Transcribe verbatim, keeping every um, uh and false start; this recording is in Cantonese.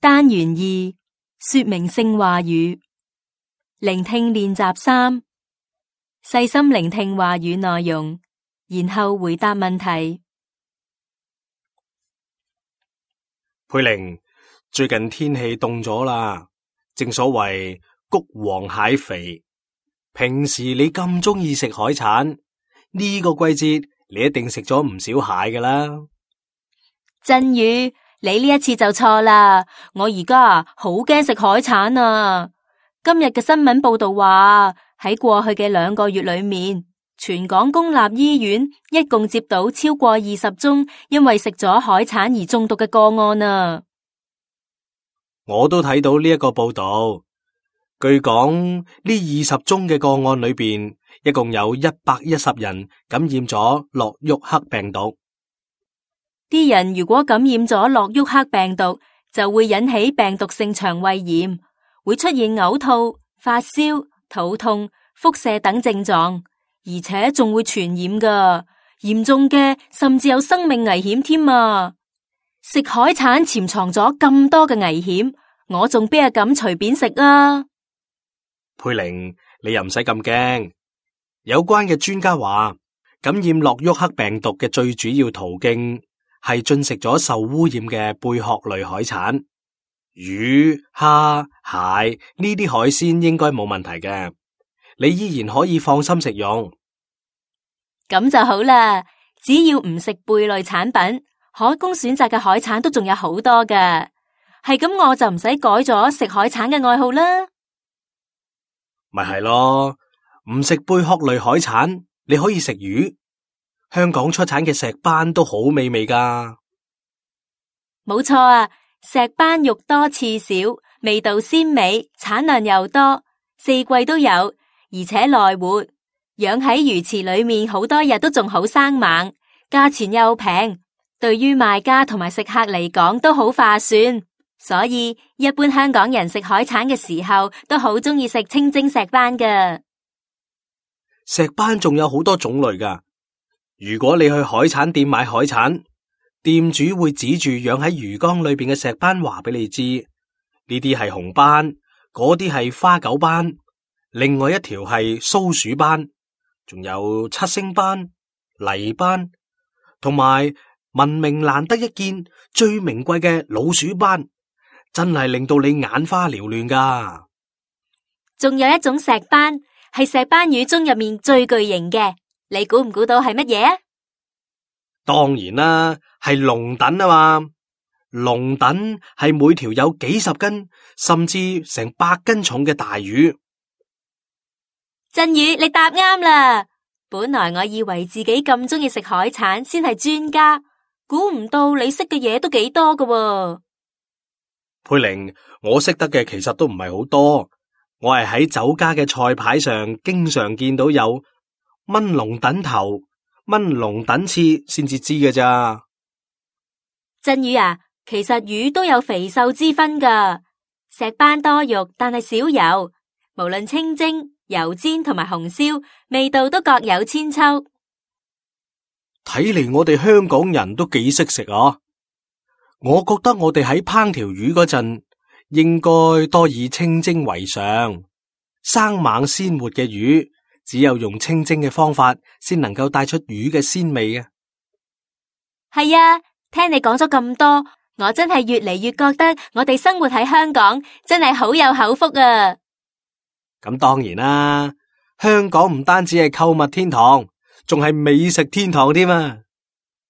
單元二說明性話語。聆聽練習三，細心聆聽話語內容，然後回答問題。佩玲，最近天氣凍咗啦，正所謂谷黃蟹肥。平時你咁鍾意食海產，呢個季節你一定食咗唔少蟹㗎啦。振宇，你呢一次就錯啦！我而家啊好驚食海產啊！今日嘅新聞報道話，喺過去嘅兩個月裏面，全港公立醫院一共接到超過二十宗因為食咗海產而中毒嘅個案啊！我都睇到呢一個報道，據講呢二十宗嘅個案裏邊，一共有一百一十人感染咗諾沃克病毒。啲人如果感染咗諾沃克病毒，就會引起病毒性腸胃炎，會出現嘔吐、發燒、肚痛、腹瀉等症狀，而且仲會傳染㗎，嚴重嘅甚至有生命危險添啊！食海產潛藏咗咁多嘅危險，我仲邊係敢隨便食啊？佩玲，你又唔使咁驚。有關嘅專家話，感染諾沃克病毒嘅最主要途徑係進食咗受污染嘅貝殼類海產，魚、蝦、蟹呢啲海鮮應該冇問題嘅，你依然可以放心食用。咁就好啦，只要唔食貝類產品，可供選擇嘅海產都仲有好多㗎。係咁，我就唔使改咗食海產嘅愛好啦。咪係咯，唔食貝殼類海產，你可以食魚。香港出產嘅石斑都好美味噶。冇錯啊，石斑肉多刺少，味道鮮美，產量又多，四季都有，而且耐活，養喺魚池裏面好多日都仲好生猛，價錢又平，對於賣家同埋食客嚟講都好划算，所以一般香港人食海產嘅時候都好鍾意食清蒸石斑噶。石斑仲有好多種類噶。如果你去海產店買海產，店主會指住養喺魚缸裏邊嘅石斑話俾你知，呢啲係紅斑，嗰啲係花狗斑，另外一條係蘇鼠斑，仲有七星斑、泥斑，同埋聞名難得一見、最名貴嘅老鼠斑，真係令到你眼花繚亂噶。仲有一種石斑，係石斑魚中入面最巨型嘅。你估唔估到係乜嘢啊？當然啦，係龍躉啊嘛！龍躉係每條有幾十斤，甚至成百斤重嘅大魚。振宇，你答啱啦！本來我以為自己咁鍾意食海產先係專家，估唔到你識嘅嘢都幾多㗎喎。佩玲，我識得嘅其實都唔係好多，我係喺酒家嘅菜牌上經常見到有炆龍躉頭、炆龍躉翅先至知嘅咋。振宇啊，其實魚都有肥瘦之分噶。石斑多肉，但係少油。無論清蒸、油煎同埋紅燒，味道都各有千秋。睇嚟我哋香港人都幾識食啊！我覺得我哋喺烹調魚嗰陣，應該多以清蒸為上。生猛鮮活嘅魚，只有用清蒸嘅方法，先能夠帶出魚嘅鮮味啊！係啊，聽你講咗咁多，我真係越嚟越覺得我哋生活喺香港真係好有口福啊！咁當然啦，香港唔單止係購物天堂，仲係美食天堂添啊！